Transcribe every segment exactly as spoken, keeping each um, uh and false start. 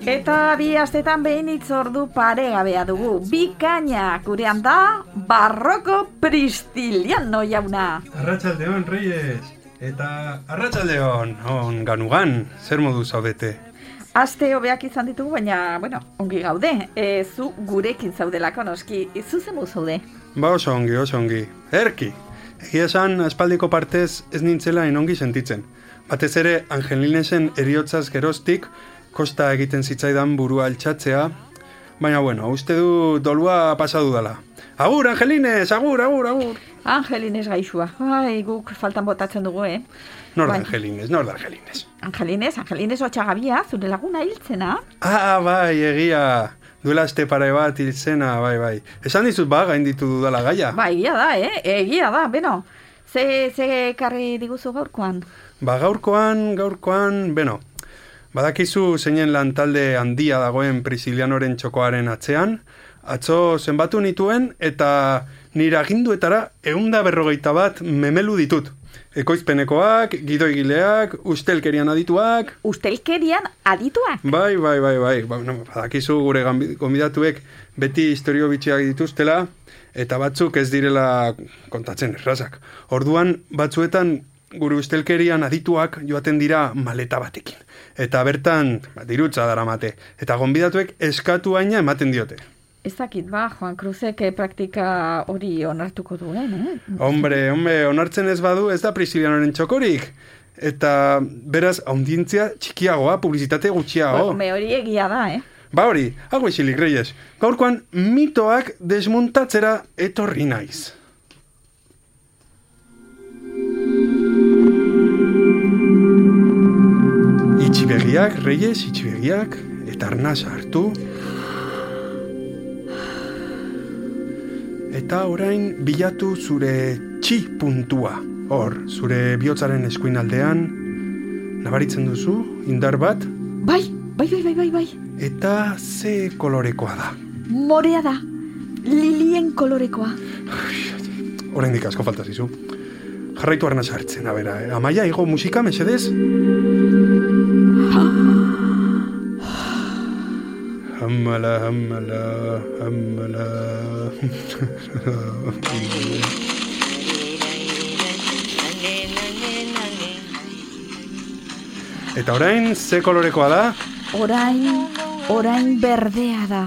Eta bi astetan behin itzordu paregabea dugu. Bikaina gurean da Barroko Pristiliano jauna. Arratsaldeon, Reyes. Eta arratsaldeon, on ganugan, zer modu zaudete? Aste hobeak izan ditugu, baina, bueno, ongi gaude. E, zu gurekin zaudelako noski, zu zen zaude? Ba oso ongi, oso ongi. Erki, egia esan aspaldiko partez ez nintzela inongi sentitzen. Batez ere, Angelinesen eriotzaz geroztik, kosta egiten zitzaidan burua altxatzea, baina bueno, uste du dolua pasadu dela. Agur, Angelines, agur, agur, agur. Angelines gaixua, ai, guk faltan botatzen dugu, eh? Nor da Angelines, nor da Angelines. Angelines, Angelines Otxagabia, zure laguna hiltzena. Ah, bai, egia, duela aste pare bat hiltzena, bai, bai. Esan dizut ba, gainditu dudala gaia. Bai, egia da, eh? Egia da, beno. Ze, ze karri diguzu gaurkoan? Ba, gaurkoan, gaurkoan, beno. Badakizu zeinen lan talde handia dagoen Prisilianoren txokoaren atzean, atzo zenbatu nituen eta nire aginduetara ehunda berrogeita bat memelu ditut. Ekoizpenekoak, gidoigileak, ustelkerian adituak... Ustelkerian adituak? Bai, bai, bai, bai. Ba, no, badakizu gure gonbidatuek beti historio bitxiak dituztela eta batzuk ez direla kontatzen errazak. Orduan batzuetan gure ustelkerian adituak joaten dira maleta batekin. Eta bertan, ba, dirutza daramate. Eta gonbidatuek eskatu haina ematen diote. Ez dakit, ba, Juan Cruzek praktika hori onartuko duen, eh? Hombre, hombre, onartzen ez badu ez da Prisilianoren txokorik. Eta beraz, audientzia txikiagoa, publizitate gutxiago. Hombre, hori egia da, eh? Ba hori, hau esilik, Reyes. Gaurkoan mitoak desmuntatzera etorri naiz. Itxibegiak, Reyes, itxibegiak, eta arnaz hartu. Eta orain bilatu zure txi puntua. Hor, zure bihotzaren eskuin aldean, nabaritzen duzu, indar bat? Bai, bai, bai, bai, bai, bai. Eta ze kolorekoa da? Morea da, lilien kolorekoa. Oraindik asko falta zizu. Jarraitu arnaz hartzen, a bera, eh? Amaia, igo musika, mesedez? Hamala, hamala, hamala... Eta orain, ze kolorekoa da? Orain, orain berdea da.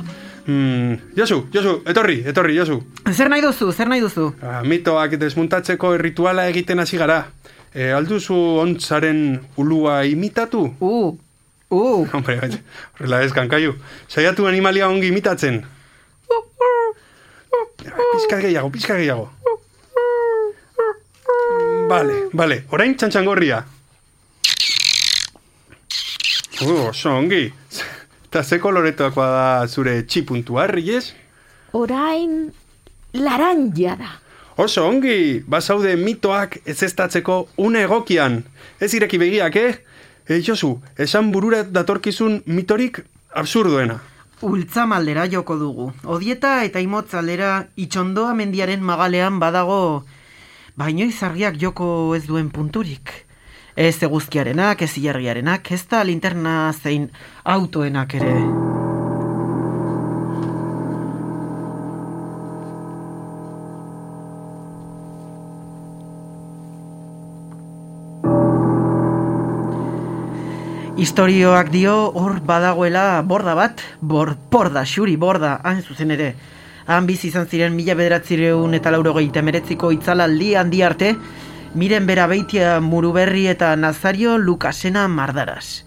Hmm, Josu, Josu, etorri, etorri, Josu. Zer nahi duzu, zer nahi duzu? Ah, mitoak desmuntatzeko rituala egiten hasi gara. E, alduzu ontzaren ulua imitatu? Uh, uh. Hombre, horrela ez, kankaiu. Saiatu animalia ongi imitatzen. Pizka gehiago, pizka gehiago. Vale, vale, orain txantxangorria. Uh, oso ongi. Eta ze koloretoakoa da zure txipuntua, Reyes? Orain laranja da. Oso ongi, bazaude mitoak ezeztatzeko une egokian. Ez ireki begiak, eh? E, Josu, esan burura datorkizun mitorik absurdoena. Ultzamaldera joko dugu. Odieta eta imotzaldera itxondoa mendiaren magalean badago bainoi zarriak joko ez duen punturik. Ez eguzkiarenak, ez ilargiarenak, ez da linterna zein autoenak ere. Historioak dio hor badagoela borda bat, bor, borda, xuri, borda, hain zuzen ere. Han bizi izan ziren mila bederatzireun eta laurogeita hemeretziko itzalaldi handi arte, Miren bera beitia Muruberri eta Nazario Lukasena Mardaras.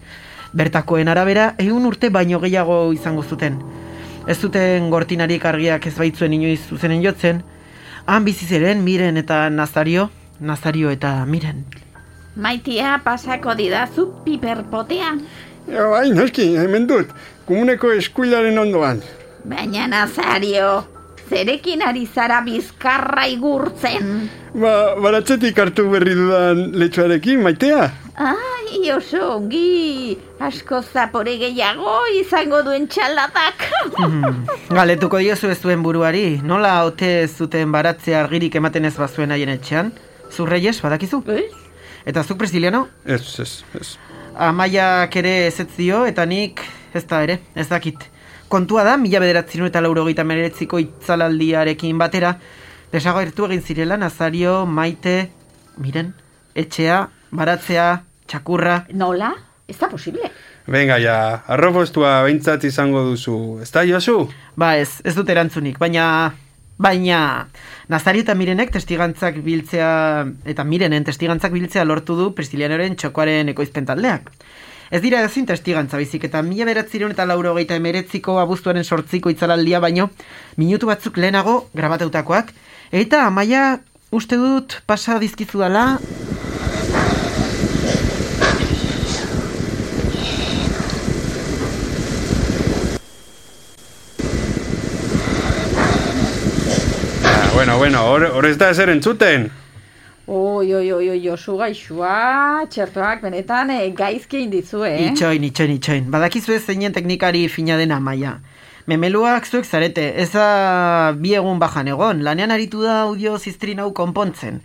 Bertakoen arabera, ehun urte baino gehiago izango zuten. Ez zuten gortinarik argiak ez baitzuen inoiz zuzenen jotzen, han bizi ziren Miren eta Nazario, Nazario eta Miren. Maitia pasako didazu piperpotea. Ja, bai, noski, hemen dut, komuneko eskuilaren ondoan. Baina Nazario, zerekin ari zara bizkarra igurtzen? Ba, baratzetik hartu berri dudan letxoarekin, Maitea? Ai, oso ongi, asko zapore gehiago izango duen txaladak. Galetuko diozu ez zuen buruari, nola ote zuten baratzea argirik ematen ez bazuen haien etxean? Zu, Reyes, badakizu? Ez? Eta zuk, Prisiliano? Ez, ez, ez. Amaiak ere ezetz dio, eta nik ez da ere, ez dakit. Kontua da, mila bederatzen eta laurogeita meretziko itzalaldiarekin batera, desagertu egin zirela Nazario, Maite, miren, Etxea, Baratzea, Txakurra. Nola? Ez da posible. Venga, ja, arropostua behintzat izango duzu, ez da, Josu? Ba ez, ez dut erantzunik, baina... Baina, Nazario eta Mirenek testigantzak biltzea, eta Mirenen testigantzak biltzea lortu du Pristilianoren txokoaren ekoizpen taldeak. Ez dira ezin testigantza bizik, eta mila beratzireun eta laurogeita emeretziko abuztuaren sortziko itzalaldia baino, minutu batzuk lehenago grabateutakoak, eta Amaia uste dut pasa dizkizu dala... Bueno, bueno, hor, hor ez da ezer entzuten. Oi, oi, oi, oi, Josu gaixua, txertoak benetan eh, gaizki indizu, eh? Itxoin, itxoin, itxoin. Badakizue zeinen teknikari fina dena Amaia. Memeluak zuek zarete, ez da bi egun bajan egon, lanean aritu da audio ziztrin hau konpontzen.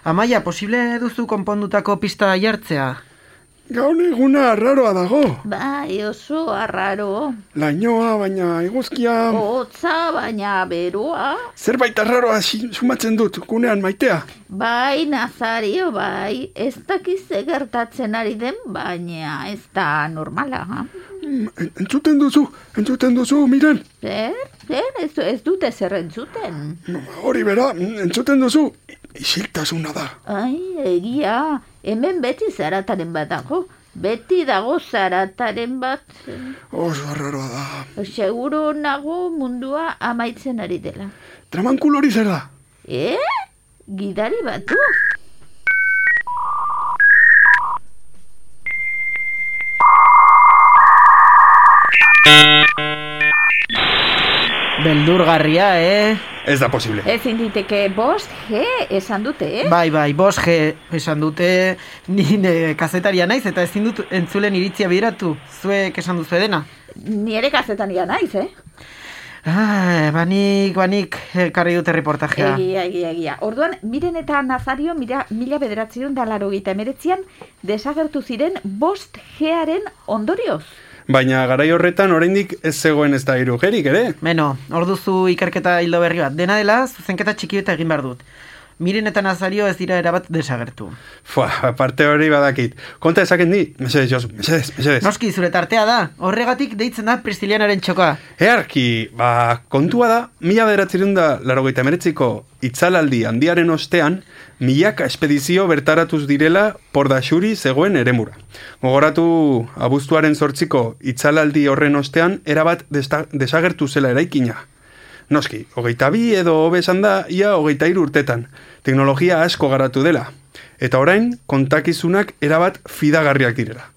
Amaia, posible duzu konpondutako pista jartzea? Gaur eguna arraroa dago. Bai, oso arraro. Lainoa, baina eguzkia... Hotza, baina beroa. Zerbait arraroa sumatzen dut, gunean Maitea. Bai, Nazario, bai. Ez dakiz gertatzen ari den, baina ez da normala, ha? Entzuten duzu, entzuten duzu, Miren. Zer? Zer? Ez, ez dute zer entzuten. No, hori bera, entzuten duzu, isiltasuna da. Ai, egia, hemen beti zarataren bat dago. Beti dago zarataren bat. Oso arraroa da. Seguro nago mundua amaitzen ari dela. Tramankul hori zer da? Eh? Gidari batu? Beldurgarria, eh? Ez da posible. Ezin diteke bost G esan dute, eh? Bai, bai, bost G esan dute, nire kazetaria naiz, eta ezin dut entzulen iritzia bideratu, zuek esan duzu edena. Nire kazetaria naiz, eh? Ah, banik, banik, karri dute reportajea. Egia, egia, egia. Orduan, Miren eta Nazario mila, mila bederatzion da larogeita emeretzian desagertu ziren bost G-aren ondorioz. Baina garai horretan oraindik ez zegoen ez da hiru gerik ere. Beno, hor duzu ikerketa hildo berri bat. Dena dela, zuzenketa txiki eta egin behar dut. Miren eta Nazario ez dira erabat desagertu. Fua, parte hori badakit. Konta ezaken di, mesedez, Josu, mesedez, mesedez. Noski, zure tartea da. Horregatik deitzen da Pristilianaren txoka. Earki, ba, kontua da, mila bederatzerun da larogeita emeretziko itzalaldi handiaren ostean, milaka espedizio bertaratuz direla Pordaxuri zegoen eremura. Gogoratu abuztuaren zortziko itzalaldi horren ostean, erabat desta, desagertu zela eraikina. Noski, hogeita bi edo hobe esan da, ia hogeita hiru urtetan. Teknologia asko garatu dela. Eta orain, kontakizunak erabat fidagarriak direla.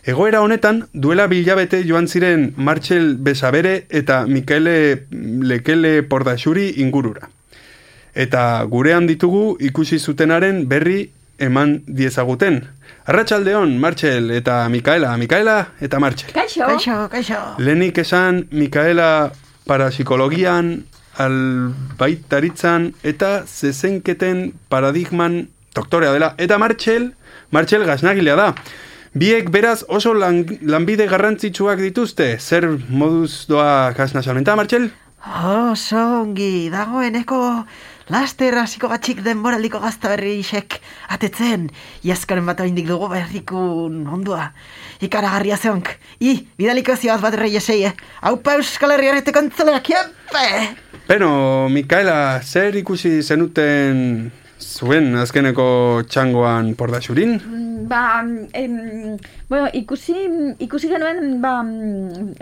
Egoera honetan, duela bilabete joan ziren Martxel Besabere eta Mikele Lekele Pordaxuri ingurura. Eta gurean ditugu ikusi zutenaren berri eman diezaguten. Arratsaldeon, Martxel eta Mikaela, Mikaela eta Martxel. Kaixo. Kaixo, kaixo. Lehenik esan Mikaela parapsikologian, albaitaritzan eta zezenketen paradigman doktorea dela. Eta Martxel, Martxel gaznagilea da. Biek beraz oso lan, lanbide garrantzitsuak dituzte. Zer moduz doa gazna salmenta, Martxel? Oso ongi, dagoeneko laster hasiko gatxik denboraldiko gazta berri isek atetzen. Iaskaren bat oindik dugu berrikun ondua. Ikaragarria zeonk. I, bidaliko zioaz bat rei esei, eh? Haupa Euskal Herriarete kontzoleak, jepe! Beno, Mikaela, zer ikusi zenuten zuen azkeneko txangoan Pordaxurin? Ba, em, bueno, ikusi, ikusi genuen, ba,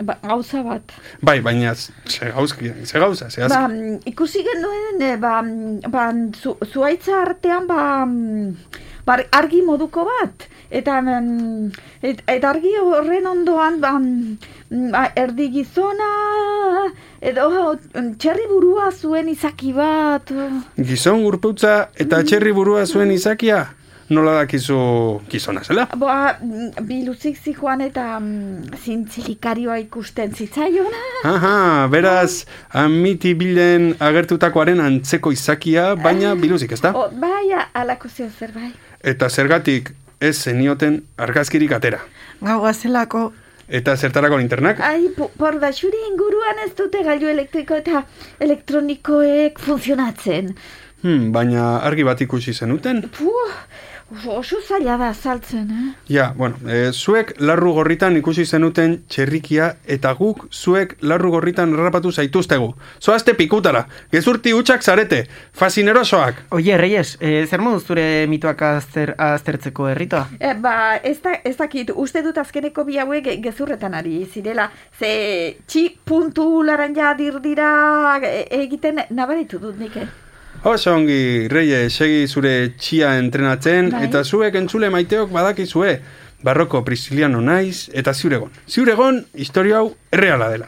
ba, gauza bat. Bai, baina ze gauzki, ze gauza, ze azki. Ba, ikusi genuen, eh, ba, ba, zu, zuaitza artean, ba, ba, argi moduko bat. Eta, et, eta argi horren ondoan, ba, ba, erdi gizona, edo txerri burua zuen izaki bat. Gizon gurputza eta txerri burua zuen izakia? Nola dakizu gizona zela? Ba, biluzik zikoan eta zintzilikarioa ikusten zitzaiona. Aha, beraz, amiti bilen agertutakoaren antzeko izakia, baina biluzik, ez da? O, bai, alako zeo zer, bai. Eta zergatik ez zenioten argazkirik atera. Gau gazelako. Eta zertarako linternak? Ai, por da xuri inguruan ez dute gailu elektriko eta elektronikoek funtzionatzen. Hmm, baina argi bat ikusi zenuten? Puh, oso zaila da saltzen, eh? Ja, bueno, e, zuek larru gorritan ikusi zenuten txerrikia eta guk zuek larru gorritan errapatu zaituztegu. Zoazte pikutara, gezurti hutsak zarete, fascinerosoak. Oie, Reyes, e, zer moduz zure mitoak azter, aztertzeko herritoa? E, ba, ez, da, ez dakit, uste dut azkeneko bi hauek gezurretan ari zirela. Ze txi puntu laranja dirdira egiten nabaritu dut nik, eh? Oso ongi, Reie, segi zure txia entrenatzen, bai. Eta zuek entzule maiteok badakizue, barroko prisiliano naiz, eta ziuregon. Ziuregon, historia hau erreala dela.